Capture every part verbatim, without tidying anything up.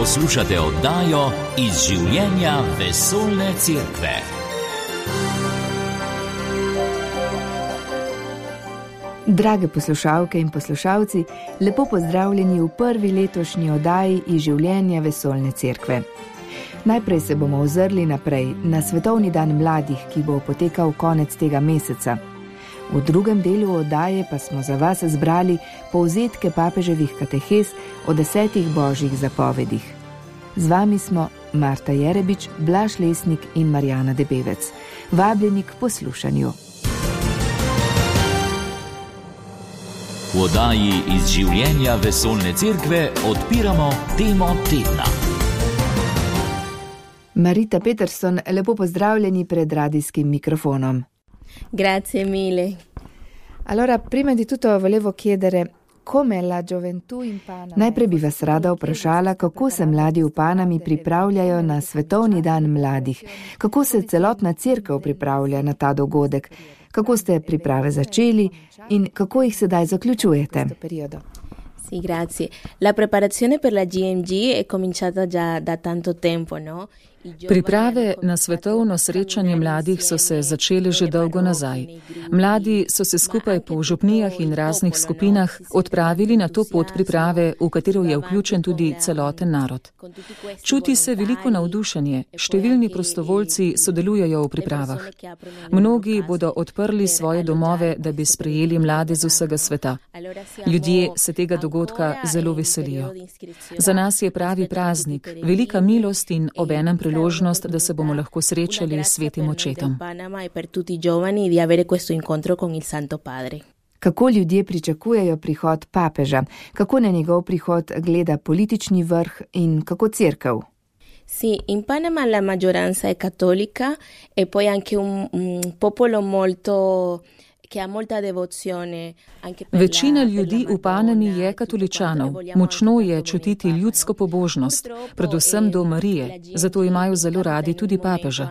Poslušate oddajo Iz življenja vesoljne cerkve. Drage poslušalke in poslušalci, lepo pozdravljeni v prvi letošnji oddaji Iz življenja vesoljne cerkve. Najprej se bomo ozrli naprej na Svetovni dan mladih, ki bo potekal konec tega meseca. V drugem delu oddaje pa smo za vas zbrali povzetke papeževih katehes o desetih božjih zapovedih. Z vami smo Marta Jerebič, Blaž Lesnik in Marjana Debevec. Vabljeni k poslušanju. V oddaji Iz življenja vesoljne cerkve odpiramo temo tedna. Marita Peterson, lepo pozdravljeni pred radijskim mikrofonom. Grazie mille. Allora, prima di tutto volevo chiedere come la gioventù in Panama. Najprej bi vas rada vprašala, kako se mladi v Panami pripravljajo na Svetovni dan mladih, kako se celotna cerkev pripravlja na ta dogodek, kako ste priprave začeli in kako jih sedaj zaključujete. Sì, grazie. La preparazione per la G M G è cominciata già da tanto tempo, no? Priprave na svetovno srečanje mladih so se začele že dolgo nazaj. Mladi so se skupaj po župnijah in raznih skupinah odpravili na to pot priprave, v katero je vključen tudi celoten narod. Čuti se veliko navdušenje, številni prostovoljci sodelujejo v pripravah. Mnogi bodo odprli svoje domove, da bi sprejeli mlade z vsega sveta. Ljudje se tega dogodka zelo veselijo. Za nas je pravi praznik, velika milost in obenem priložnost, da se bomo lahko srečali s svetim očetom. Kako ljudje pričakujejo prihod papeža? Kako na njegov prihod gleda politični vrh in kako cerkev? Sì, in Panama la maggioranza è cattolica e poi anche un, un popolo molto Večina ljudi v Panami je katoličanov. Močno je čutiti ljudsko pobožnost, predvsem do Marije, zato imajo zelo radi tudi papeža.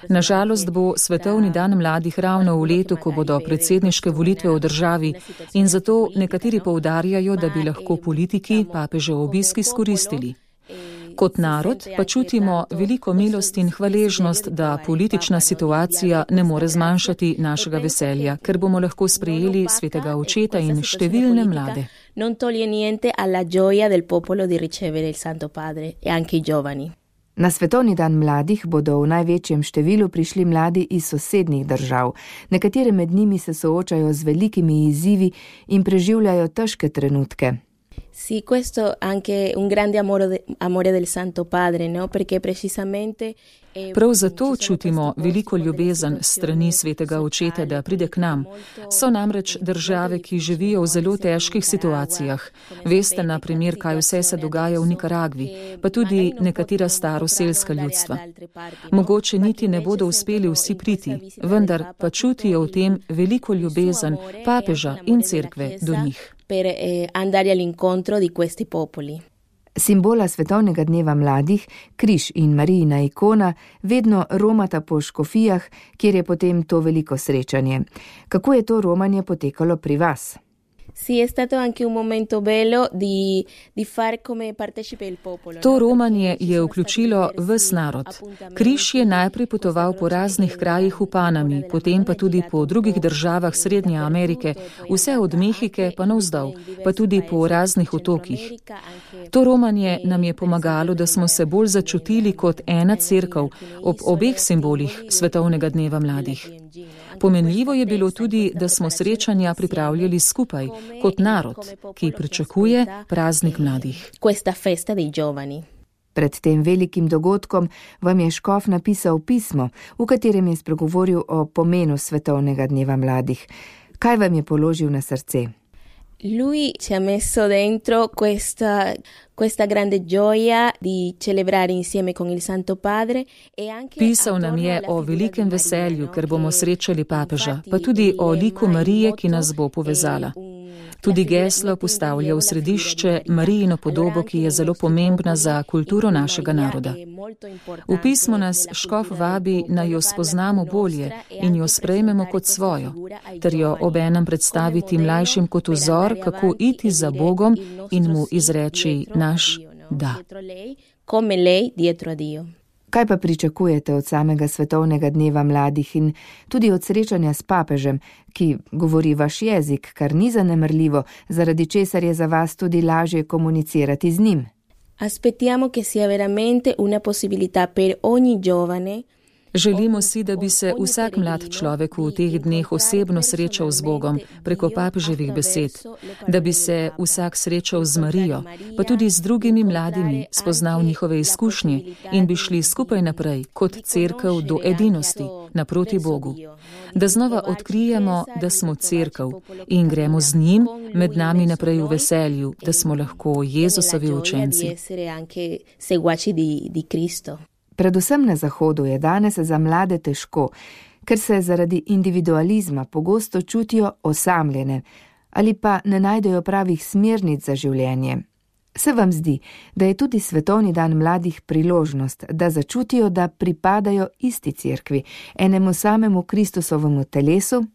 Nažalost bo Svetovni dan mladih ravno v letu, ko bodo predsedniške volitve v državi in zato nekateri poudarjajo, da bi lahko politiki papežev obisk izkoristili. Kot narod pa čutimo veliko milost in hvaležnost, da politična situacija ne more zmanjšati našega veselja, ker bomo lahko sprejeli svetega očeta in številne mlade. Non toglie niente alla gioia del popolo di ricevere il Santo Padre e anche i giovani. Na Svetovni dan mladih bodo v največjem številu prišli mladi iz sosednjih držav. Nekatere med njimi se soočajo z velikimi izzivi in preživljajo težke trenutke. Sì, questo anche un grande amore, amore del Santo Padre, no? Perché precisamente Prav zato čutimo veliko ljubezen strani svetega očeta, da pride k nam. So namreč države, ki živijo v zelo težkih situacijah. Veste, na primer, kaj vse se dogaja v Nikaragvi, pa tudi nekatera staroselska ljudstva. Mogoče niti ne bodo uspeli vsi priti, vendar pa čutijo v tem veliko ljubezen papeža in cerkve do njih. Per andare all'incontro di questi popoli. Simbola Svetovnega dneva mladih, križ in Marijina ikona, vedno romata po škofijah, kjer je potem to veliko srečanje. Kako je to romanje potekalo pri vas? Sì, è stato anche un momento bello di, di far come partecipe il popolo. To romanje je vključilo ves narod. Križ je najprej potoval po raznih krajih v Panami, potem pa tudi po drugih državah Srednje Amerike, vse od Mehike pa navzdol, pa tudi po raznih otokih. To romanje nam je pomagalo, da smo se bolj začutili kot ena cerkev ob obeh simbolih Svetovnega dneva mladih. Pomenljivo je bilo tudi, da smo srečanja pripravljali skupaj, kot narod, ki pričakuje praznik mladih. Pred tem velikim dogodkom vam je škof napisal pismo, v katerem je spregovoril o pomenu Svetovnega dneva mladih. Kaj vam je položil na srce? Lui ci ha messo dentro questa, questa grande gioia di celebrare insieme con il Santo Padre e anche Pisal nam je o velikem veselju, ker bomo srečali papeža, pa tudi o liku Marije, ki nas bo povezala. Tudi geslo postavlja v središče Marijino podobo, ki je zelo pomembna za kulturo našega naroda. V pismu nas škof vabi, naj jo spoznamo bolje in jo sprejmemo kot svojo, ter jo obenem predstaviti mlajšim kot vzor, kako iti za Bogom in mu izreči naš da. Kaj pa pričakujete od samega svetovnega dneva mladih in tudi od srečanja s papežem, ki govori vaš jezik, kar ni zanemrljivo, zaradi česar je za vas tudi lažje komunicirati z njim? Aspettiamo che sia veramente una possibilità per ogni giovane. Želimo si, da bi se vsak mlad človek v teh dneh osebno srečal z Bogom preko papeževih besed, da bi se vsak srečal z Marijo, pa tudi z drugimi mladimi, spoznal njihove izkušnje in bi šli skupaj naprej kot cerkev do edinosti, naproti Bogu. Da znova odkrijemo, da smo cerkev in gremo z njim med nami naprej v veselju, da smo lahko Jezusovi učenci. Predvsem na Zahodu je danes za mlade težko, ker se zaradi individualizma pogosto čutijo osamljene ali pa ne najdejo pravih smernic za življenje. Se vam zdi, da je tudi svetovni dan mladih priložnost, da začutijo, da pripadajo isti cerkvi, enemu samemu Kristusovemu telesu?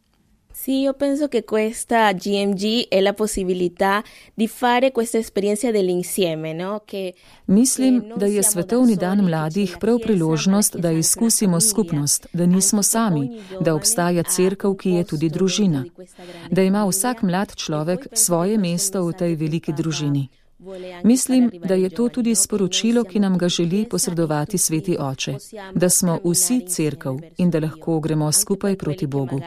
Sì, io penso che questa G M G è la possibilità di fare questa esperienza dell'insieme, no? Che Mislim, da je svetovni dan mladih prav priložnost, da izkusimo skupnost, da nismo sami, da obstaja cerkev, ki je tudi družina, da ima vsak mlad človek svoje mesto v tej veliki družini. Mislim, da je to tudi sporočilo, ki nam ga želi posredovati Sveti Oče, da smo vsi cerkev in da lahko gremo skupaj proti Bogu.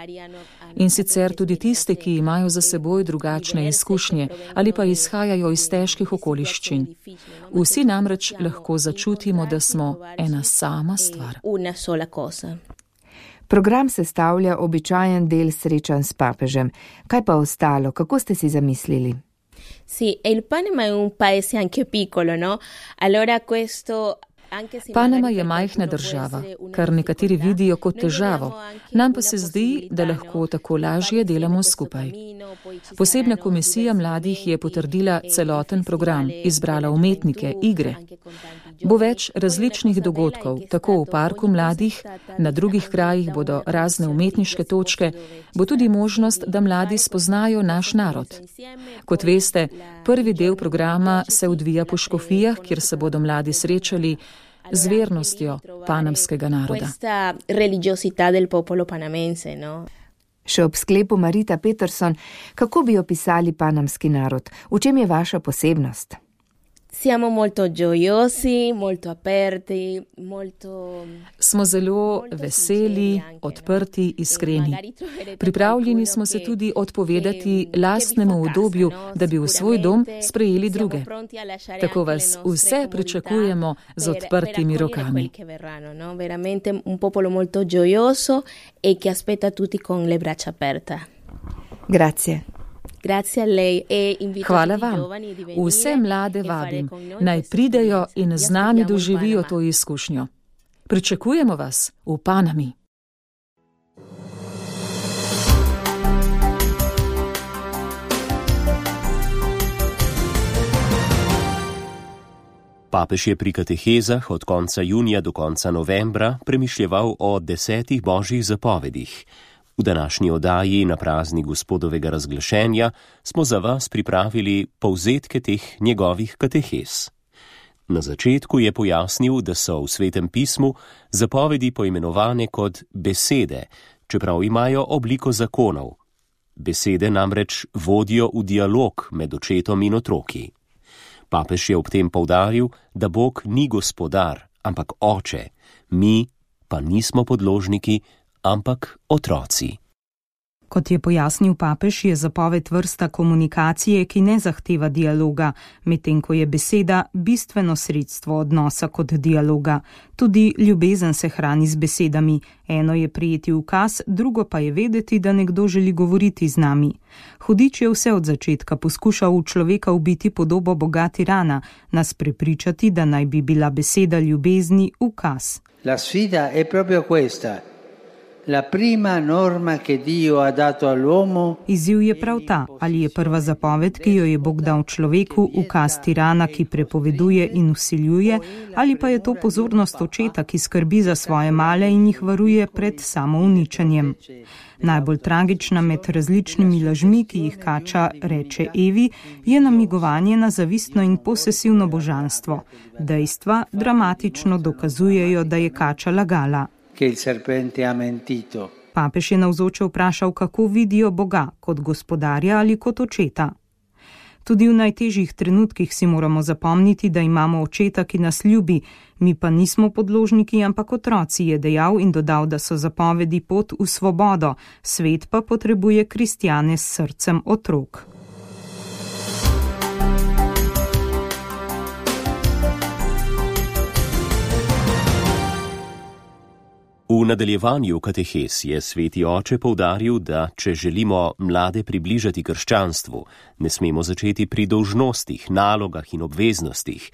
In sicer tudi tiste, ki imajo za seboj drugačne izkušnje ali pa izhajajo iz težkih okoliščin. Vsi namreč lahko začutimo, da smo ena sama stvar. Program sestavlja običajen del srečanj s papežem. Kaj pa ostalo? Kako ste si zamislili? Sì, e il Panama è un paese anche piccolo, no? Allora questo Panama je majhna država, kar nekateri vidijo kot težavo, nam pa se zdi, da lahko tako lažje delamo skupaj. Posebna komisija mladih je potrdila celoten program, izbrala umetnike, igre. Bo več različnih dogodkov, tako v parku mladih, na drugih krajih bodo razne umetniške točke, bo tudi možnost, da mladi spoznajo naš narod. Kot veste, prvi del programa se odvija po škofijah, kjer se bodo mladi srečali z vernostjo panamskega naroda. Še ob sklepu Marita Peterson, kako bi opisali panamski narod? V čem je vaša posebnost? Siamo molto gioiosi, molto aperti, molto... Smo zelo veseli, odprti, iskreni. Pripravljeni smo se tudi odpovedati lastnemu udobju, da bi v svoj dom sprejeli druge. Tako vas vse pričakujemo z odprtimi rokami. Veramente un popolo molto gioioso e che aspetta tutti con le braccia aperte. Grazie. Hvala vam. Vse mlade vabim, naj pridejo in z nami doživijo to izkušnjo. Pričakujemo vas v Panami. Papež je pri katehezah od konca junija do konca novembra premišljeval o desetih božjih zapovedih. V današnji oddaji na praznik Gospodovega razglašenja smo za vas pripravili povzetke teh njegovih katehez. Na začetku je pojasnil, da so v Svetem pismu zapovedi poimenovane kot besede, čeprav imajo obliko zakonov. Besede namreč vodijo v dialog med očetom in otroki. Papež je ob tem poudaril, da Bog ni gospodar, ampak oče, mi pa nismo podložniki, ampak otroci. Kot je pojasnil papež, je zapoved vrsta komunikacije, ki ne zahteva dialoga, medtem ko je beseda bistveno sredstvo odnosa kot dialoga. Tudi ljubezen se hrani z besedami. Eno je prijeti ukaz, drugo pa je vedeti, da nekdo želi govoriti z nami. Hudič je vse od začetka poskušal v človeka ubiti podobo boga tirana, nas prepričati, da naj bi bila beseda ljubezni ukaz. La sfida è proprio questa. Izziv je prav ta, ali je prva zapoved, ki jo je Bog dal človeku, ukaz tirana, ki prepoveduje in vsiljuje, ali pa je to pozornost očeta, ki skrbi za svoje male in jih varuje pred samouničenjem. Najbolj tragična med različnimi lažmi, ki jih kača reče Evi, je namigovanje na zavistno in posesivno božanstvo. Dejstva dramatično dokazujejo, da je kača lagala. Papež je navzoče vprašal, kako vidijo Boga, kot gospodarja ali kot očeta. Tudi v najtežjih trenutkih si moramo zapomniti, da imamo očeta, ki nas ljubi, mi pa nismo podložniki, ampak otroci, je dejal in dodal, da so zapovedi pot v svobodo, svet pa potrebuje kristjane s srcem otrok. V nadaljevanju katehes je sveti oče poudaril, da če želimo mlade približati krščanstvu, ne smemo začeti pri dolžnostih, nalogah in obveznostih,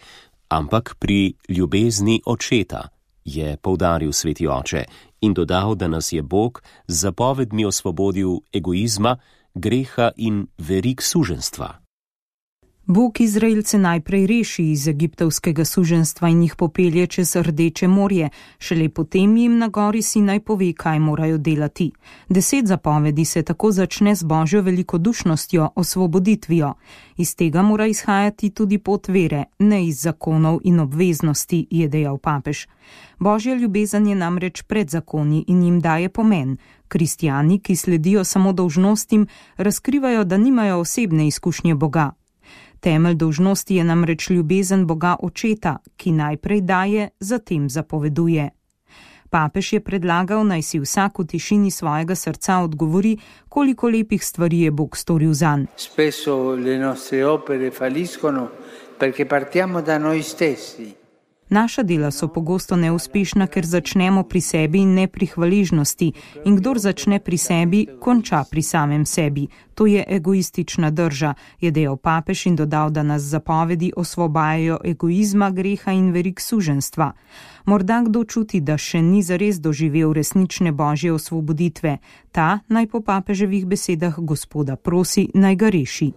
ampak pri ljubezni očeta, je poudaril sveti oče in dodal, da nas je Bog z zapovedmi osvobodil egoizma, greha in verig suženstva. Bog Izraelce najprej reši iz egiptovskega suženstva in jih popelje čez Rdeče morje, šele potem jim na gori Sinaj pove, kaj morajo delati. Deset zapovedi se tako začne z Božjo velikodušnostjo, osvoboditvijo. Iz tega mora izhajati tudi pot vere, ne iz zakonov in obveznosti, je dejal papež. Božja ljubezen je namreč pred zakoni in jim daje pomen. Kristjani, ki sledijo samo dolžnostim, razkrivajo, da nimajo osebne izkušnje Boga. Temelj dolžnosti je namreč ljubezen Boga Očeta, ki najprej daje, zatem zapoveduje. Papež je predlagal, naj si vsak v tišini svojega srca odgovori, koliko lepih stvari je Bog storil zanj. Spesso le nostre opere falliscono perché partiamo da noi stessi. Naša dela so pogosto neuspešna, ker začnemo pri sebi in ne pri hvaležnosti, in kdor začne pri sebi, konča pri samem sebi. To je egoistična drža, je dejal papež in dodal, da nas zapovedi osvobajajo egoizma, greha in verig suženstva. Morda kdo čuti, da še ni zares doživel resnične božje osvoboditve. Ta naj po papeževih besedah Gospoda prosi, naj ga reši.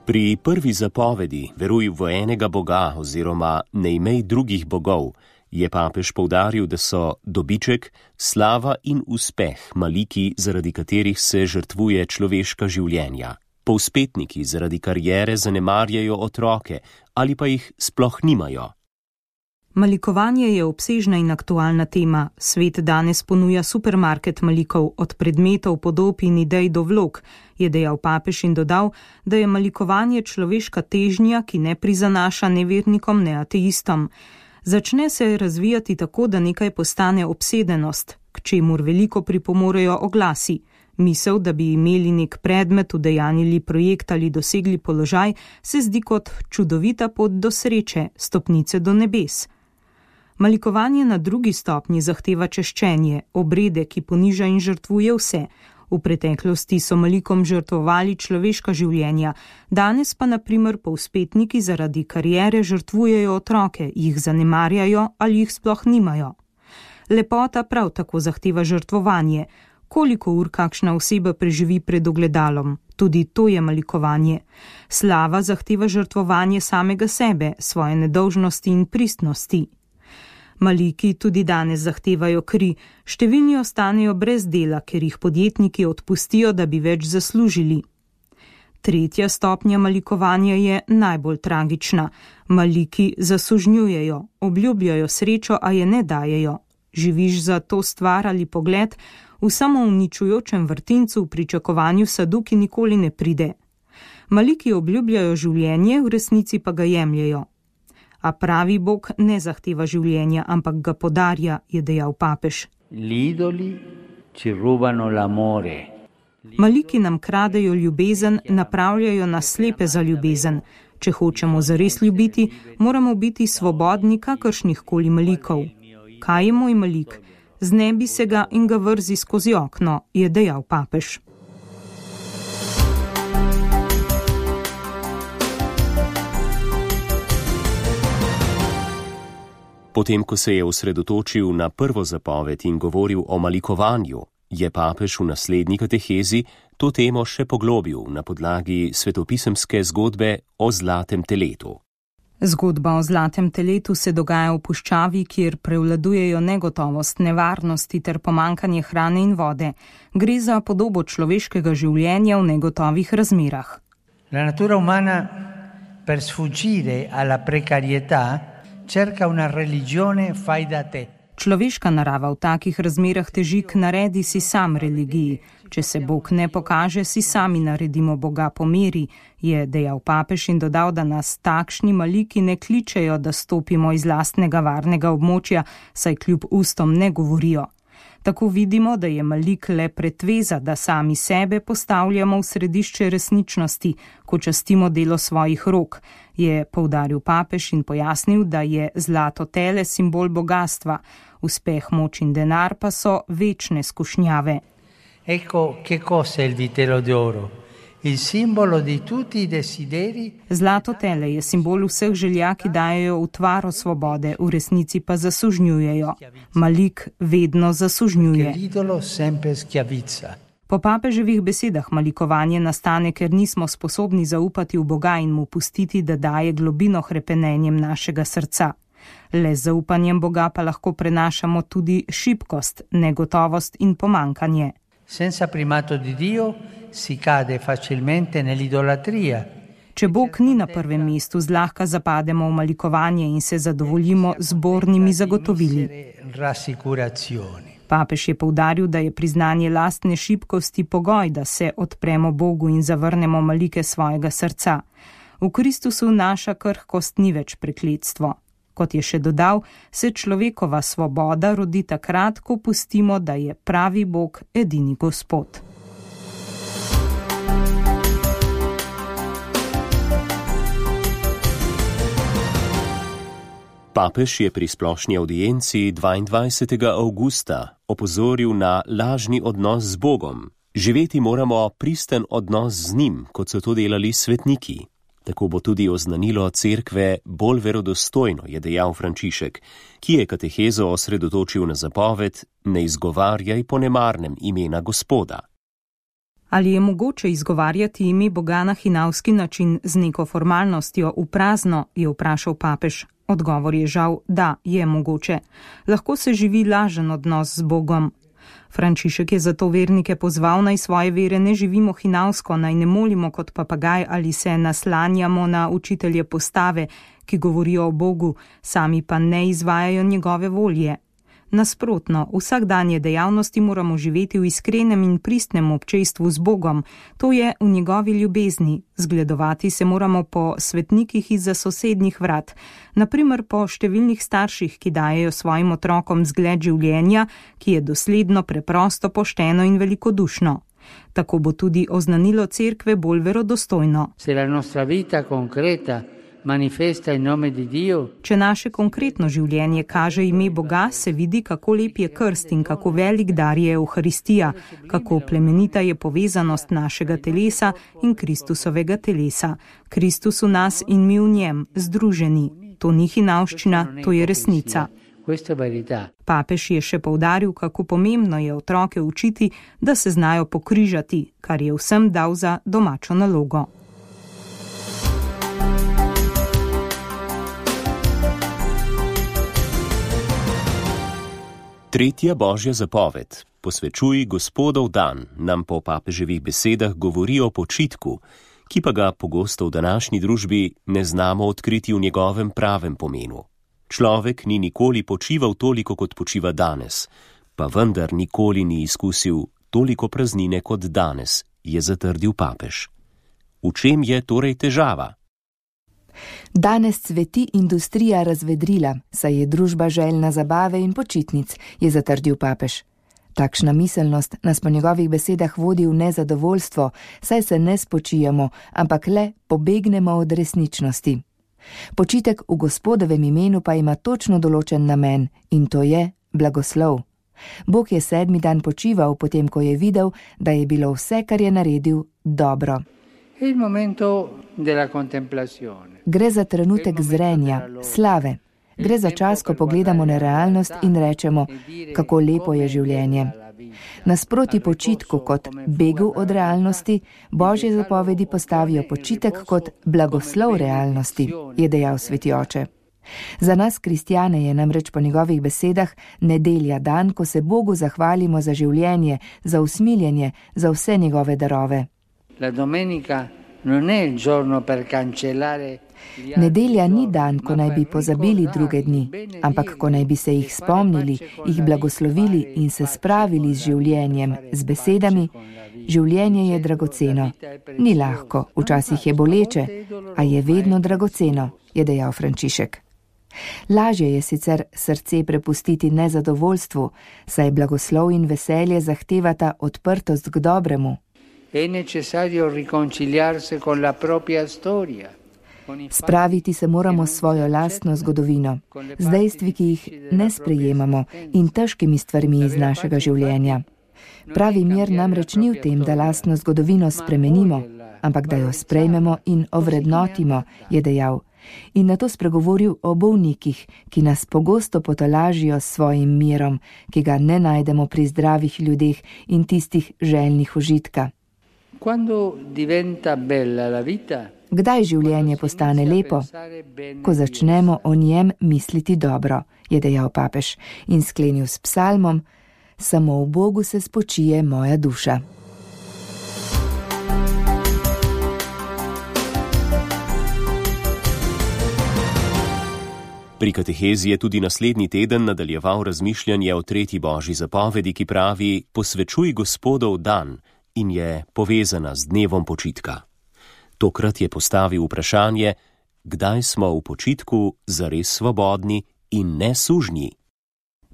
Pri prvi zapovedi, veruj v enega Boga oziroma ne imej drugih bogov, je papež poudaril, da so dobiček, slava in uspeh maliki, zaradi katerih se žrtvuje človeška življenja. Povzpetniki zaradi kariere zanemarjajo otroke ali pa jih sploh nimajo. Malikovanje je obsežna in aktualna tema. Svet danes ponuja supermarket malikov, od predmetov, podob in idej do vlog, je dejal papež in dodal, da je malikovanje človeška težnja, ki ne prizanaša ne vernikom, ne ateistom. Začne se razvijati tako, da nekaj postane obsedenost, k čemur veliko pripomorejo oglasi. Misel, da bi imeli nek predmet, udejanili projekt ali dosegli položaj, se zdi kot čudovita pot do sreče, stopnice do nebes. Malikovanje na drugi stopnji zahteva češčenje, obrede, ki poniža in žrtvuje vse. V preteklosti so malikom žrtvovali človeška življenja, danes pa na primer povzpetniki zaradi kariere žrtvujejo otroke, jih zanemarjajo ali jih sploh nimajo. Lepota prav tako zahteva žrtvovanje. Koliko ur kakšna oseba preživi pred ogledalom? Tudi to je malikovanje. Slava zahteva žrtvovanje samega sebe, svoje nedolžnosti in pristnosti. Maliki tudi danes zahtevajo kri, številni ostanejo brez dela, ker jih podjetniki odpustijo, da bi več zaslužili. Tretja stopnja malikovanja je najbolj tragična. Maliki zasužnjujejo, obljubljajo srečo, a je ne dajejo. Živiš za to stvar ali pogled v samouničujočem vrtincu v pričakovanju sadu, ki nikoli ne pride. Maliki obljubljajo življenje, v resnici pa ga jemljejo. A pravi Bog ne zahteva življenja, ampak ga podarja, je dejal papež. L'idoli ci rubano l'amore. Maliki nam kradejo ljubezen, napravljajo nas slepe za ljubezen. Če hočemo zares ljubiti, moramo biti svobodni kakršnih koli malikov. Kaj je moj malik? Znebi se ga in ga vrzi skozi okno, je dejal papež. Potem, ko se je osredotočil na prvo zapoved in govoril o malikovanju, je papež v naslednji katehezi to temo še poglobil na podlagi svetopisemske zgodbe o zlatem teletu. Zgodba o zlatem teletu se dogaja v puščavi, kjer prevladujejo negotovost, nevarnosti ter pomankanje hrane in vode. Gre za podobo človeškega življenja v negotovih razmerah. La natura umana per sfuggire alla precarietà cerca una religione fai da te. Človeška narava v takih razmerah teži k naredi si sam religiji. Če se Bog ne pokaže, si sami naredimo Boga po meri, je dejal papež in dodal, da nas takšni maliki ne kličejo, da stopimo iz lastnega varnega območja, saj kljub ustom ne govorijo. Tako vidimo, da je malik le pretveza, da sami sebe postavljamo v središče resničnosti, ko častimo delo svojih rok, je poudaril papež in pojasnil, da je zlato tele simbol bogatstva, uspeh, moč in denar pa so večne skušnjave. Ecco che cos'è il vitello d'oro, il simbolo di tutti i desideri. Zlato tele je simbol vseh želja, ki dajejo utvaro svobode, v resnici pa zasužnjujejo. Malik vedno zasužnjuje. L'idolo sempre schiavizza. Po papeževih besedah malikovanje nastane, ker nismo sposobni zaupati v Boga in mu pustiti, da daje globino hrepenenjem našega srca. Le z zaupanjem Boga pa lahko prenašamo tudi šibkost, negotovost in pomankanje. Senza primato di Dio si cade facilmente nell'idolatria. Če Bog ni na prvem mestu, zlahka zapademo v malikovanje in se zadovoljimo z bornimi zagotovili. Papež je poudaril, da je priznanje lastne šibkosti pogoj, da se odpremo Bogu in zavrnemo malike svojega srca. V Kristusu naša krhkost ni več prekletstvo. Kot je še dodal, se človekova svoboda rodi takrat, ko pustimo, da je pravi Bog edini Gospod. Papež je pri splošni avdienci dvaindvajsetega avgusta opozoril na lažni odnos z Bogom. Živeti moramo pristen odnos z njim, kot so to delali svetniki. Tako bo tudi oznanilo cerkve bolj verodostojno, je dejal Frančišek, ki je katehezo osredotočil na zapoved: ne izgovarjaj po nemarnem imena Gospoda. Ali je mogoče izgovarjati ime Boga na hinavski način z neko formalnostjo v prazno, je vprašal papež. Odgovor je žal, da je mogoče. Lahko se živi lažen odnos z Bogom. Frančišek je zato vernike pozval, naj svoje vere ne živimo hinavsko, naj ne molimo kot papagaj ali se naslanjamo na učitelje postave, ki govorijo o Bogu, sami pa ne izvajajo njegove volje. Nasprotno, vsakdanje dejavnosti moramo živeti v iskrenem in pristnem občestvu z Bogom, to je v njegovi ljubezni. Zgledovati se moramo po svetnikih izza sosednjih vrat, naprimer po številnih starših, ki dajejo svojim otrokom zgled življenja, ki je dosledno, preprosto, pošteno in velikodušno. Tako bo tudi oznanilo cerkve bolj verodostojno. Se la nostra vita concreta manifesta in nome di Dio. Če naše konkretno življenje kaže ime Boga, se vidi, kako lep je krst in kako velik dar je Evharistija, kako plemenita je povezanost našega telesa in Kristusovega telesa. Kristus v nas in mi v njem, združeni. To ni hinavščina, to je resnica. Papež je še poudaril, kako pomembno je otroke učiti, da se znajo pokrižati, kar je vsem dal za domačo nalogo. Tretja božja zapoved, posvečuj Gospodov dan, nam po papeževih besedah govori o počitku, ki pa ga pogosto v današnji družbi ne znamo odkriti v njegovem pravem pomenu. Človek ni nikoli počival toliko, kot počiva danes, pa vendar nikoli ni izkusil toliko praznine kot danes, je zatrdil papež. V čem je torej težava? Danes cveti industrija razvedrila, saj je družba željna zabave in počitnic, je zatrdil papež. Takšna miselnost nas po njegovih besedah vodi v nezadovoljstvo, saj se ne spočijemo, ampak le pobegnemo od resničnosti. Počitek v Gospodovem imenu pa ima točno določen namen, in to je blagoslov. Bog je sedmi dan počival, potem ko je videl, da je bilo vse, kar je naredil, dobro. Gre za trenutek zrenja, slave. Gre za čas, ko pogledamo na realnost in rečemo, kako lepo je življenje. Nasproti počitku kot begu od realnosti, Božje zapovedi postavijo počitek kot blagoslov realnosti, je dejal sveti oče. Za nas, kristjane, je namreč po njegovih besedah nedelja dan, ko se Bogu zahvalimo za življenje, za usmiljenje, za vse njegove darove. La domenica non è il giorno per cancellare. Nedelja ni dan, ko naj bi pozabili druge dni, ampak ko naj bi se jih spomnili, jih blagoslovili in se spravili z življenjem, z besedami. Življenje je dragoceno. Ni lahko, včasih je boleče, a je vedno dragoceno, je dejal Frančišek. Lažje je sicer srce prepustiti nezadovoljstvu, saj blagoslov in veselje zahtevata odprtost k dobremu. È necessario riconciliarsi con la propria storia. Spraviti se moramo s svojo lastno zgodovino, z dejstvi, ki jih ne sprejemamo in težkimi stvarmi iz našega življenja. Pravi mir namreč ni v tem, da lastno zgodovino spremenimo, ampak da jo sprejmemo in ovrednotimo, je dejal. In nato spregovoril o bolnikih, ki nas pogosto potolažijo s svojim mirom, ki ga ne najdemo pri zdravih ljudeh in tistih željnih užitka. Quando diventa bella la vita, Kdaj življenje postane lepo? Ko začnemo o njem misliti dobro, je dejal papež in sklenil s psalmom: Samo v Bogu se spočije moja duša. Pri katehezi je tudi naslednji teden nadaljeval razmišljanje o tretji Božji zapovedi, ki pravi: Posvečuj Gospodov dan, in je povezana z dnevom počitka. Tokrat je postavil vprašanje, kdaj smo v počitku zares svobodni in ne sužnji.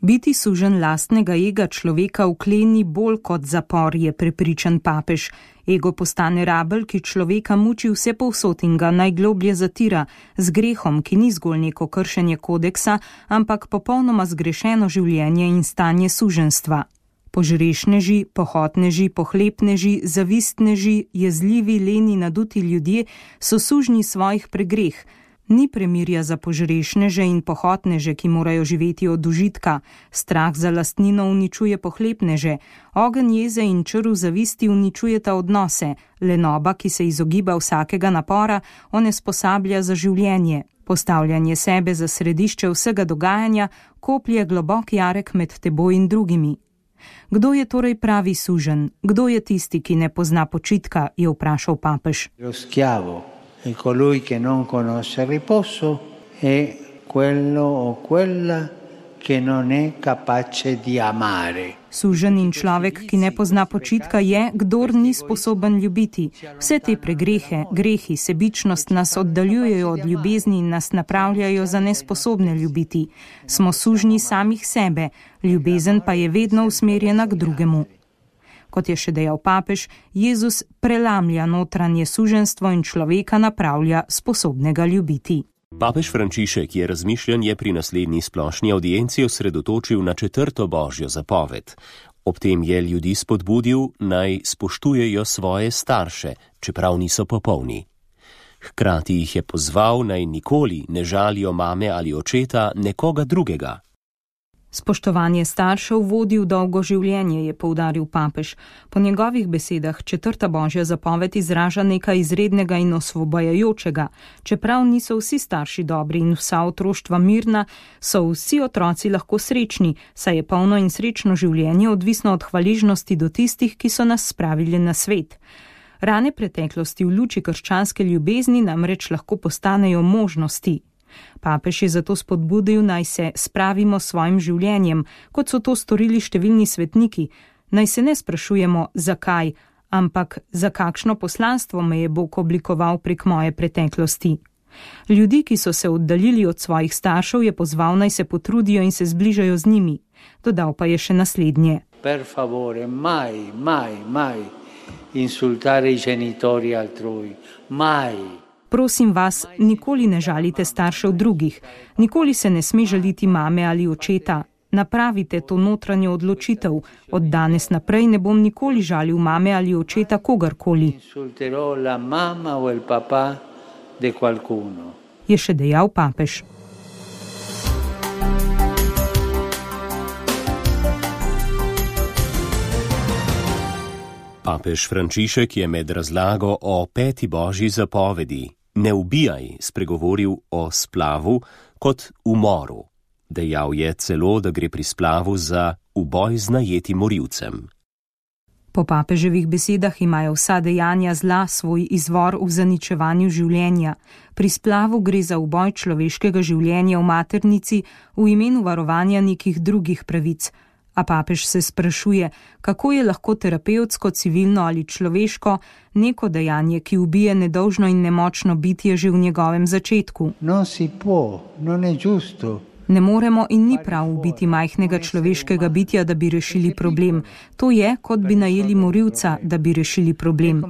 Biti sužen lastnega ega človeka vkleni bolj kot zapor, je prepričan papež. Ego postane rabelj, ki človeka muči vse povsod in ga najgloblje zatira, z grehom, ki ni zgolj neko kršenje kodeksa, ampak popolnoma zgrešeno življenje in stanje suženstva. Požrešneži, pohotneži, pohlepneži, zavistneži, jezljivi, leni, naduti ljudje so sužnji svojih pregreh. Ni premirja za požrešneže in pohotneže, ki morajo živeti od užitka. Strah za lastnino uničuje pohlepneže. Ogenj jeze in črv zavisti uničujeta odnose. Lenoba, ki se izogiba vsakega napora, onesposablja za življenje. Postavljanje sebe za središče vsega dogajanja koplje globok jarek med teboj in drugimi. Kdo je torej pravi sužen? Kdo je tisti, ki ne pozna počitka, je vprašal papež. Lo schiavo è colui che non conosce riposo, è quello o quella che non è capace di amare. Sužen in človek, ki ne pozna počitka, je, kdor ni sposoben ljubiti. Vse te pregrehe, grehi, sebičnost nas oddaljujejo od ljubezni in nas napravljajo za nesposobne ljubiti. Smo sužnji samih sebe, ljubezen pa je vedno usmerjena k drugemu. Kot je še dejal papež, Jezus prelamlja notranje suženstvo in človeka napravlja sposobnega ljubiti. Papež Frančišek je razmišljanje pri naslednji splošni audienci osredotočil na četrto Božjo zapoved. Ob tem je ljudi spodbudil, naj spoštujejo svoje starše, čeprav niso popolni. Hkrati jih je pozval, naj nikoli ne žalijo mame ali očeta nekoga drugega. Spoštovanje staršev vodi v dolgo življenje, je poudaril papež. Po njegovih besedah četrta Božja zapoved izraža nekaj izrednega in osvobajajočega. Čeprav niso vsi starši dobri in vsa otroštva mirna, so vsi otroci lahko srečni, saj je polno in srečno življenje odvisno od hvaležnosti do tistih, ki so nas spravili na svet. Rane preteklosti v luči krščanske ljubezni namreč lahko postanejo možnosti. Papež je zato spodbudil, naj se spravimo s svojim življenjem, kot so to storili številni svetniki. Naj se ne sprašujemo, zakaj, ampak za kakšno poslanstvo me je Bog oblikoval prek moje preteklosti. Ljudi, ki so se oddaljili od svojih staršev, je pozval, naj se potrudijo in se zbližajo z njimi. Dodal pa je še naslednje. Per favore, mai, mai, mai insultare i genitori altrui, mai. Prosim vas, nikoli ne žalite staršev drugih, nikoli se ne sme žaliti mame ali očeta. Napravite to notranjo odločitev. Od danes naprej ne bom nikoli žalil mame ali očeta kogarkoli. Je še dejal papež. Papež Frančišek je med razlago o peti božji zapovedi "Ne ubijaj" spregovoril o splavu kot umoru. Dejal je celo, da gre pri splavu za uboj z najetim morilcem. Po papeževih besedah imajo vsa dejanja zla svoj izvor v zaničevanju življenja. Pri splavu gre za uboj človeškega življenja v maternici v imenu varovanja nekih drugih pravic. A papež se sprašuje, kako je lahko terapevtsko, civilno ali človeško neko dejanje, ki ubije nedolžno in nemočno bitje že v njegovem začetku. Non si può, non è giusto. Ne moremo in ni prav ubiti majhnega človeškega bitja, da bi rešili problem. To je, kot bi najeli morilca, da bi rešili problem.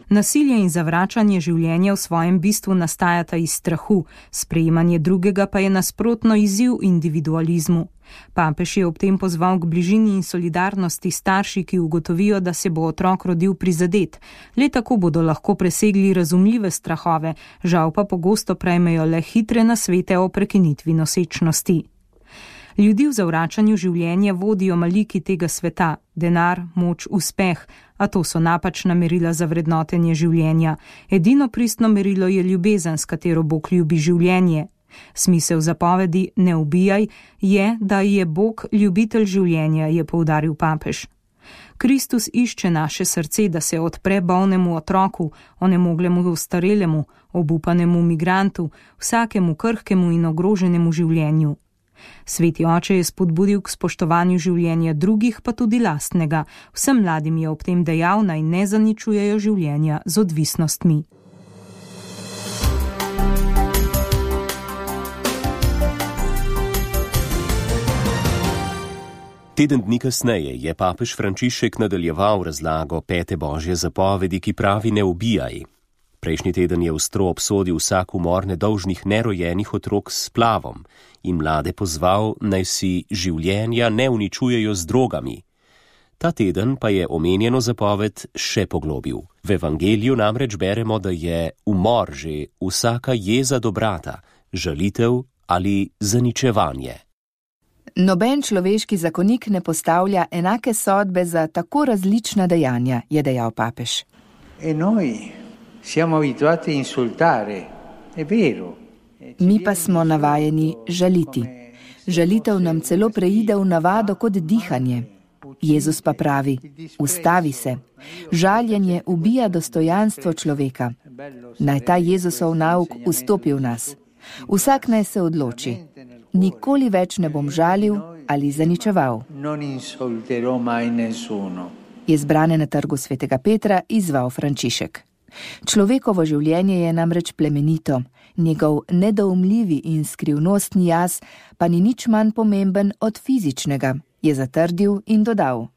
Nasilje in zavračanje življenja v svojem bistvu nastajata iz strahu, sprejemanje drugega pa je nasprotno izziv individualizmu. Papež je ob tem pozval k bližini in solidarnosti starši, ki ugotovijo, da se bo otrok rodil prizadet. Le tako bodo lahko presegli razumljive strahove, žal pa pogosto prejmejo le hitre nasvete o prekinitvi nosečnosti. Ljudi v zavračanju življenja vodijo maliki tega sveta, denar, moč, uspeh, a to so napačna merila za vrednotenje življenja. Edino pristno merilo je ljubezen, s katero Bog ljubi življenje. Smisel zapovedi "Ne ubijaj" je, da je Bog ljubitelj življenja, je poudaril papež. Kristus išče naše srce, da se odpre bolnemu otroku, onemoglemu ostarelemu, obupanemu migrantu, vsakemu krhkemu in ogroženemu življenju. Sveti oče je spodbudil k spoštovanju življenja drugih, pa tudi lastnega. Vsem mladim je ob tem dejal, naj ne zaničujejo življenja z odvisnostmi. Teden dni kasneje je papež Frančišek nadaljeval razlago pete božje zapovedi, ki pravi "Ne ubijaj". Prejšnji teden je ostro obsodil vsak umor nedolžnih nerojenih otrok s splavom in mlade pozval, naj si življenja ne uničujejo z drogami. Ta teden pa je omenjeno zapoved še poglobil. V evangeliju namreč beremo, da je umor že vsaka jeza do brata, žalitev ali zaničevanje. Noben človeški zakonik ne postavlja enake sodbe za tako različna dejanja, je dejal papež. E noi siamo abituati a insultare, è vero. Mi pa smo navajeni žaliti. Žalitev nam celo preide v navado kot dihanje. Jezus pa pravi, ustavi se. Žaljenje ubija dostojanstvo človeka. Naj ta Jezusov nauk vstopi v nas. Vsak naj se odloči. Nikoli več ne bom žalil ali zaničeval. Je zbrane na trgu svetega Petra izval Frančišek. Človekovo življenje je namreč plemenito, njegov nedoumljivi in skrivnostni jaz pa ni nič manj pomemben od fizičnega, je zatrdil in dodal.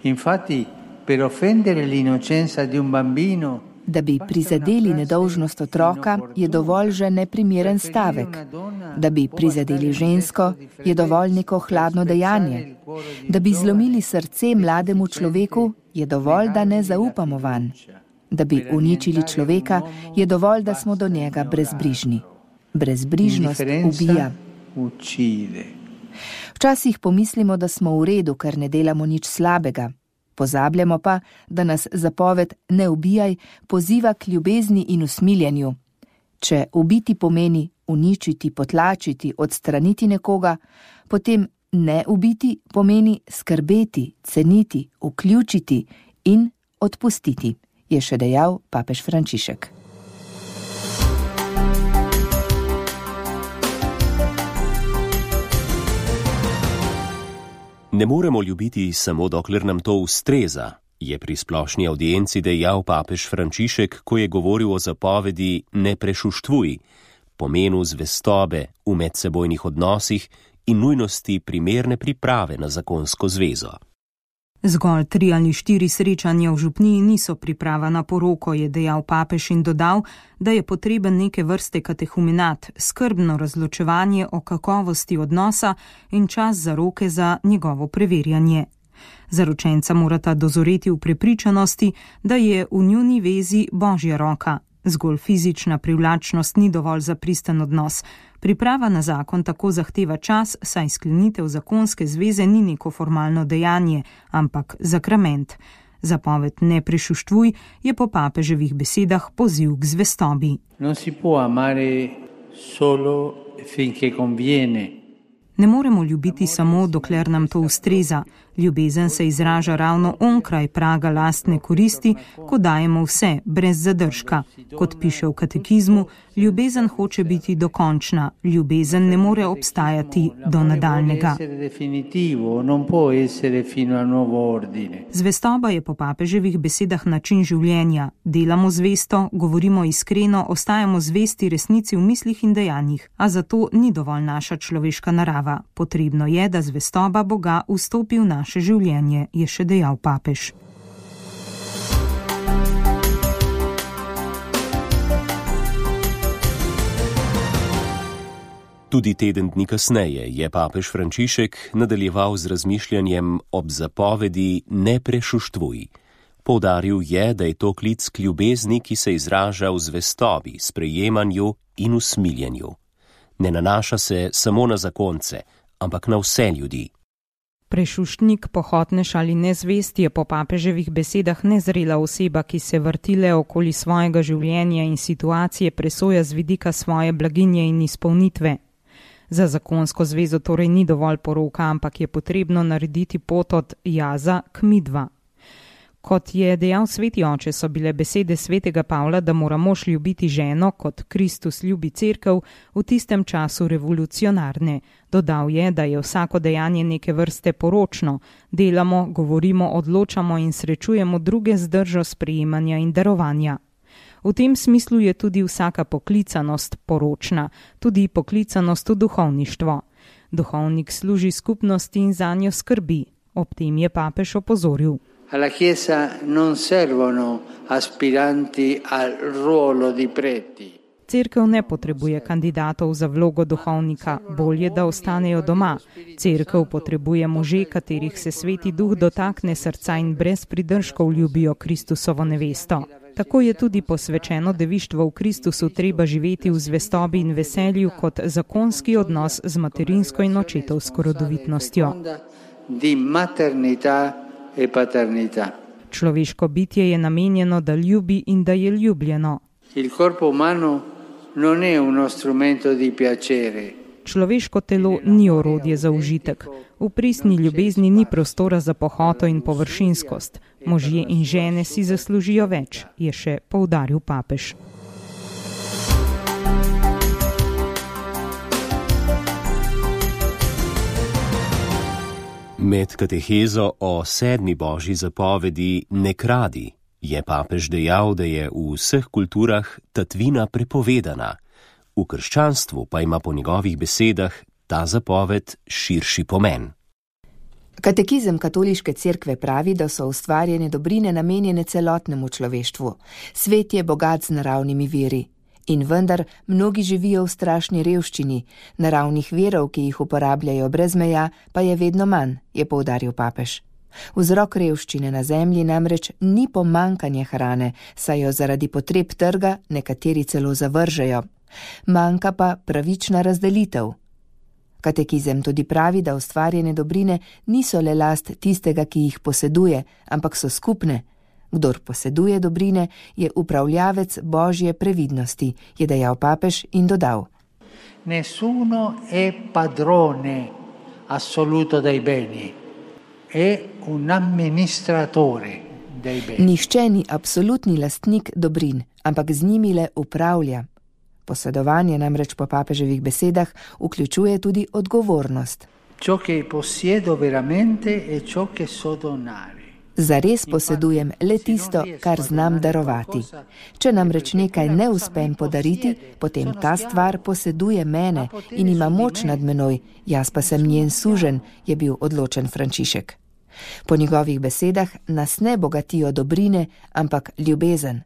Infatti, per offendere l'innocenza di un bambino, da bi prizadeli nedolžnost otroka, je dovolj že neprimeren stavek. Da bi prizadeli žensko, je dovolj neko hladno dejanje. Da bi zlomili srce mlademu človeku, je dovolj, da ne zaupamo vanj. Da bi uničili človeka, je dovolj, da smo do njega brezbrižni. Brezbrižnost ubija. Včasih pomislimo, da smo v redu, ker ne delamo nič slabega. Pozabljamo pa, da nas zapoved "Ne ubijaj" poziva k ljubezni in usmiljenju. Če ubiti pomeni uničiti, potlačiti, odstraniti nekoga, potem ne ubiti pomeni skrbeti, ceniti, vključiti in odpustiti, je še dejal papež Frančišek. Ne moremo ljubiti samo dokler nam to ustreza, je pri splošni audienci dejal papež Frančišek, ko je govoril o zapovedi "Ne prešuštvuj", pomenu zvestobe v medsebojnih odnosih in nujnosti primerne priprave na zakonsko zvezo. Zgolj tri ali štiri srečanja v župniji niso priprava na poroko, je dejal papež in dodal, da je potreben neke vrste katehumenat, skrbno razločevanje o kakovosti odnosa in čas za roke za njegovo preverjanje. Zaročenca morata dozoreti v prepričanosti, da je v njuni vezi božja roka. Zgolj fizična privlačnost ni dovolj za pristen odnos. Priprava na zakon tako zahteva čas, saj sklenitev zakonske zveze ni neko formalno dejanje, ampak zakrament. Zapoved ne prešuštvuj je po papeževih besedah poziv k zvestobi. Non si può amare solo finché conviene. Ne moremo ljubiti samo, dokler nam to ustreza. Ljubezen se izraža ravno onkraj praga lastne koristi, ko dajemo vse, brez zadržka. Kot piše v katekizmu, ljubezen hoče biti dokončna, ljubezen ne more obstajati do nadaljnega. Zvestoba je po papeževih besedah način življenja. Delamo zvesto, govorimo iskreno, ostajamo zvesti resnici v mislih in dejanjih, a zato ni dovolj naša človeška narava. Potrebno je, da zvestoba Boga vstopi v naše življenje, je še dejal papež. Tudi teden dni kasneje je papež Frančišek nadaljeval z razmišljanjem ob zapovedi ne prešuštvuj. Poudaril je, da je to klic k ljubezni, ki se izraža v zvestobi, sprejemanju in usmiljenju. Ne nanaša se samo na zakonce, ampak na vse ljudi. Prešuštnik, pohotnež ali nezvest je po papeževih besedah nezrela oseba, ki se vrtile okoli svojega življenja in situacije presoja z vidika svoje blaginje in izpolnitve. Za zakonsko zvezo torej ni dovolj poroka, ampak je potrebno narediti pot od jaza k midva. Kot je dejal sveti oče, so bile besede svetega Pavla, da mora mož ljubiti ženo, kot Kristus ljubi cerkev, v tistem času revolucionarne. Dodal je, da je vsako dejanje neke vrste poročno. Delamo, govorimo, odločamo in srečujemo druge z držo sprejemanja in darovanja. V tem smislu je tudi vsaka poklicanost poročna, tudi poklicanost v duhovništvo. Duhovnik služi skupnosti in zanjo skrbi. Ob tem je papež opozoril. Alla Chiesa non servono aspiranti al ruolo di preti. Cerkev ne potrebuje kandidatov za vlogo duhovnika, bolje, da ostanejo doma. Cerkev potrebuje može, katerih se sveti duh dotakne srca in brez pridržkov ljubijo Kristusovo nevesto. Tako je tudi posvečeno devištvo v Kristusu treba živeti v zvestobi in veselju kot zakonski odnos z materinsko in očetovsko rodovitnostjo. Di maternità e paternità. Človeško bitje je namenjeno, da ljubi in da je ljubljeno. Il corpo umano non è uno strumento di piacere. Človeško telo ni orodje za užitek. V pristni ljubezni ni prostora za pohoto in površinskost. Možje in žene si zaslužijo več, je še poudaril papež. Med katehezo o sedmi božji zapovedi ne kradi je papež dejal, da je v vseh kulturah tatvina prepovedana. V krščanstvu pa ima po njegovih besedah ta zapoved širši pomen. Katekizem katoliške cerkve pravi, da so ustvarjene dobrine namenjene celotnemu človeštvu. Svet je bogat z naravnimi viri. In vendar mnogi živijo v strašni revščini, naravnih virov, ki jih uporabljajo brez meja, pa je vedno manj, je poudaril papež. Vzrok revščine na zemlji namreč ni pomankanje hrane, saj jo zaradi potreb trga nekateri celo zavržejo. Manjka pa pravična razdelitev. Katekizem tudi pravi, da ustvarjene dobrine niso le last tistega, ki jih poseduje, ampak so skupne. Kdor poseduje dobrine, je upravljavec božje previdnosti, je dejal papež in dodal. Nessuno è padrone assoluto dei beni, è un amministratore dei beni. Nihče ni absolutni lastnik dobrin, ampak z njimi le upravlja. Posedovanje namreč po papeževih besedah vključuje tudi odgovornost. Ciò che possiedo veramente è ciò che so donare. Zares posedujem le tisto, kar znam darovati. Če namreč nekaj ne uspem podariti, potem ta stvar poseduje mene in ima moč nad menoj, jaz pa sem njen suženj, je bil odločen Frančišek. Po njegovih besedah nas ne bogatijo dobrine, ampak ljubezen.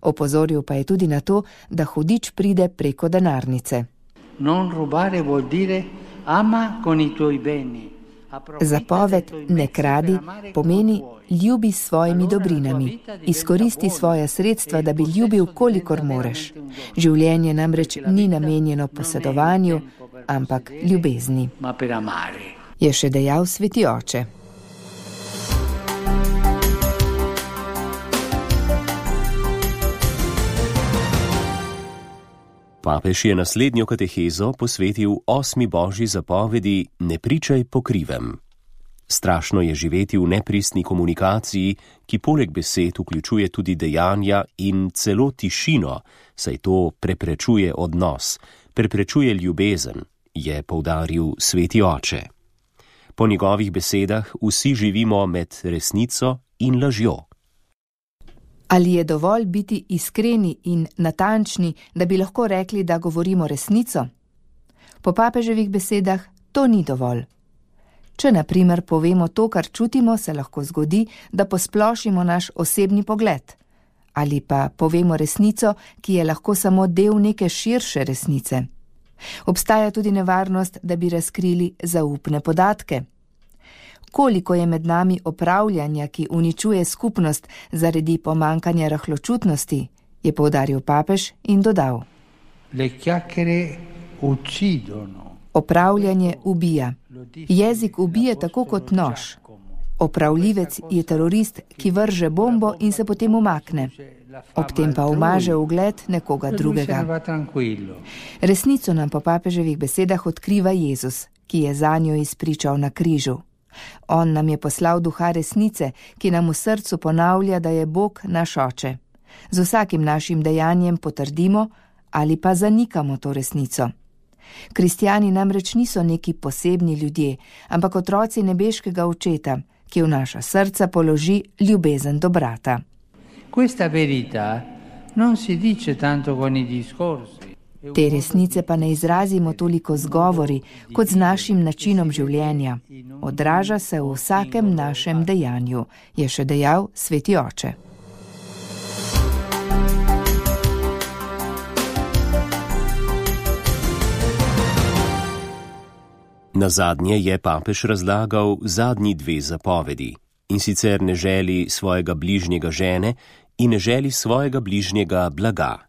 Opozoril pa je tudi na to, da hudič pride preko denarnice. Non rubare vuol dire ama con i tuoi beni. Zapoved ne kradi pomeni ljubi s svojimi dobrinami, izkoristi svoja sredstva, da bi ljubil, kolikor moreš. Življenje namreč ni namenjeno posedovanju, ampak ljubezni, je še dejal sveti oče. Papež je naslednjo katehezo posvetil osmi božji zapovedi ne pričaj po krivem. Strašno je živeti v nepristni komunikaciji, ki poleg besed vključuje tudi dejanja in celo tišino, saj to preprečuje odnos, preprečuje ljubezen, je poudaril sveti oče. Po njegovih besedah vsi živimo med resnico in lažjo. Ali je dovolj biti iskreni in natančni, da bi lahko rekli, da govorimo resnico? Po papeževih besedah to ni dovolj. Če na primer povemo to, kar čutimo, se lahko zgodi, da posplošimo naš osebni pogled. Ali pa povemo resnico, ki je lahko samo del neke širše resnice. Obstaja tudi nevarnost, da bi razkrili zaupne podatke. Koliko je med nami opravljanja, ki uničuje skupnost zaradi pomankanja rahločutnosti, je poudaril papež in dodal. Opravljanje ubija. Jezik ubije tako kot nož. Opravljivec je terorist, ki vrže bombo in se potem umakne. Ob tem pa umaže ugled nekoga drugega. Resnico nam po papeževih besedah odkriva Jezus, ki je zanjo izpričal na križu. On nam je poslal duha resnice, ki nam v srcu ponavlja, da je Bog naš oče. Z vsakim našim dejanjem potrdimo ali pa zanikamo to resnico. Kristjani namreč niso neki posebni ljudje, ampak otroci nebeškega očeta, ki v naša srca položi ljubezen do brata. Questa verità non si dice tanto con i discorsi. Te resnice pa ne izrazimo toliko z govori, kot z našim načinom življenja. Odraža se v vsakem našem dejanju, je še dejal sveti oče. Nazadnje je papež razlagal zadnji dve zapovedi, in sicer ne želi svojega bližnjega žene in ne želi svojega bližnjega blaga.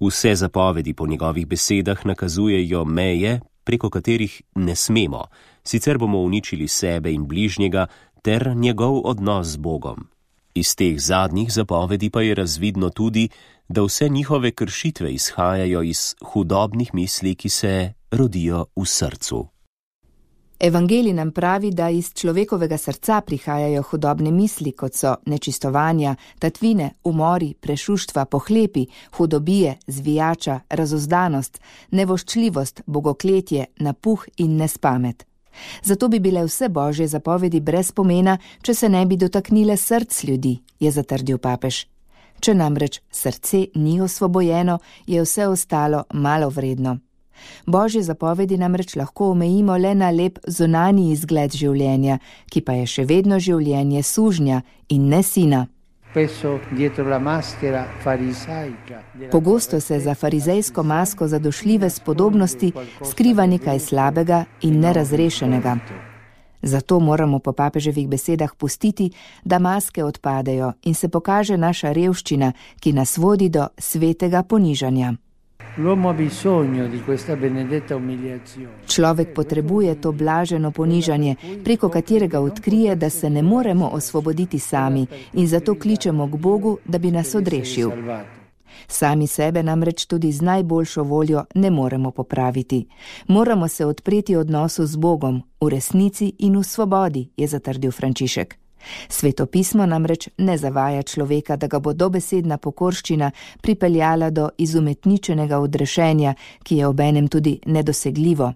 Vse zapovedi po njegovih besedah nakazujejo meje, preko katerih ne smemo, sicer bomo uničili sebe in bližnjega ter njegov odnos z Bogom. Iz teh zadnjih zapovedi pa je razvidno tudi, da vse njihove kršitve izhajajo iz hudobnih misli, ki se rodijo v srcu. Evangelij nam pravi, da iz človekovega srca prihajajo hudobne misli, kot so nečistovanja, tatvine, umori, prešuštva, pohlepi, hudobije, zvijača, razuzdanost, nevoščljivost, bogokletje, napuh in nespamet. Zato bi bile vse božje zapovedi brez pomena, če se ne bi dotaknile src ljudi, je zatrdil papež. Če namreč srce ni osvobojeno, je vse ostalo malo vredno. Božje zapovedi namreč lahko omejimo le na lep zunanji izgled življenja, ki pa je še vedno življenje sužnja in ne sina. Pogosto se za farizejsko masko zadošljive spodobnosti skriva nekaj slabega in nerazrešenega. Zato moramo po papeževih besedah pustiti, da maske odpadejo in se pokaže naša revščina, ki nas vodi do svetega ponižanja. Človek potrebuje to blaženo ponižanje, preko katerega odkrije, da se ne moremo osvoboditi sami in zato kličemo k Bogu, da bi nas odrešil. Sami sebe namreč tudi z najboljšo voljo ne moremo popraviti. Moramo se odpreti odnosu z Bogom, v resnici in v svobodi, je zatrdil Frančišek. Sveto pismo namreč ne zavaja človeka, da ga bo dobesedna pokorščina pripeljala do izumetničenega odrešenja, ki je obenem tudi nedosegljivo.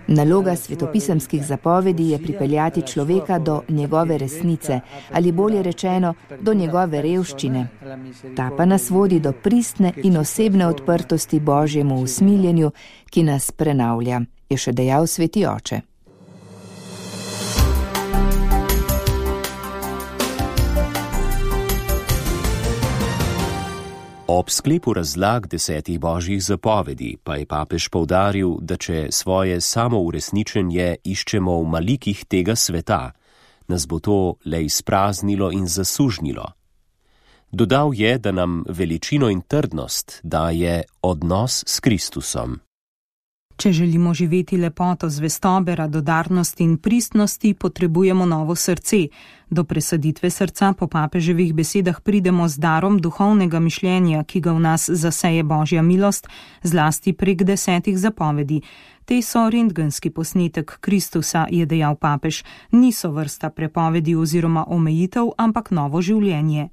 Naloga svetopisemskih zapovedi je pripeljati človeka do njegove resnice, ali bolje rečeno, do njegove revščine. Ta pa nas vodi do pristne in osebne odprtosti Božjemu usmiljenju, ki nas prenavlja, je še dejal sveti oče. Ob sklepu razlag desetih božjih zapovedi pa je papež poudaril, da če svoje samouresničenje iščemo v malikih tega sveta, nas bo to le izpraznilo in zasužnilo. Dodal je, da nam veličino in trdnost daje odnos s Kristusom. Če želimo živeti lepoto zvestobe, radodarnosti in pristnosti, potrebujemo novo srce. Do presaditve srca po papeževih besedah pridemo z darom duhovnega mišljenja, ki ga v nas zaseje Božja milost, zlasti prek desetih zapovedi. Te so rentgenski posnetek Kristusa, je dejal papež. Niso vrsta prepovedi oziroma omejitev, ampak novo življenje.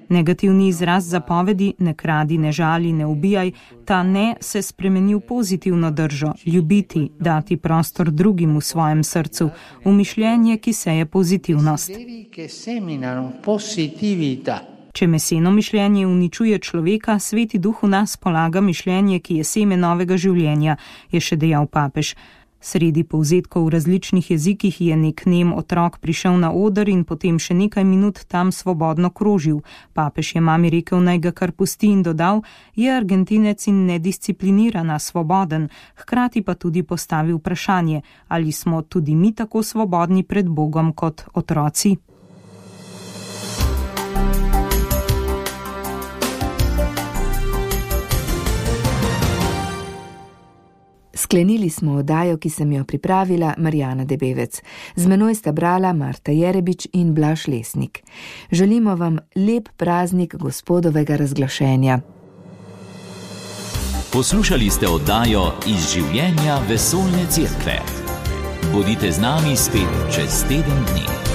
Negativni izraz zapovedi, ne kradi, ne žali, ne ubijaj, ta ne se spremeni v pozitivno držo, ljubiti, dati prostor drugim v svojem srcu, v mišljenje, ki seje pozitivnost. Če meseno mišljenje uničuje človeka, Sveti Duh v nas polaga mišljenje, ki je seme novega življenja, je še dejal papež. Sredi povzetkov v različnih jezikih je nek nem otrok prišel na oder in potem še nekaj minut tam svobodno krožil. Papež je mami rekel, naj ga kar pusti in dodal, je Argentinec in nedisciplinirana, svoboden, hkrati pa tudi postavil vprašanje, ali smo tudi mi tako svobodni pred Bogom kot otroci. Sklenili smo oddajo, ki sem jo pripravila Marjana Debevec. Z menoj sta brala Marta Jerebič in Blaž Lesnik. Želimo vam lep praznik Gospodovega razglašenja. Poslušali ste oddajo Iz življenja vesoljne cerkve. Bodite z nami spet čez teden dni.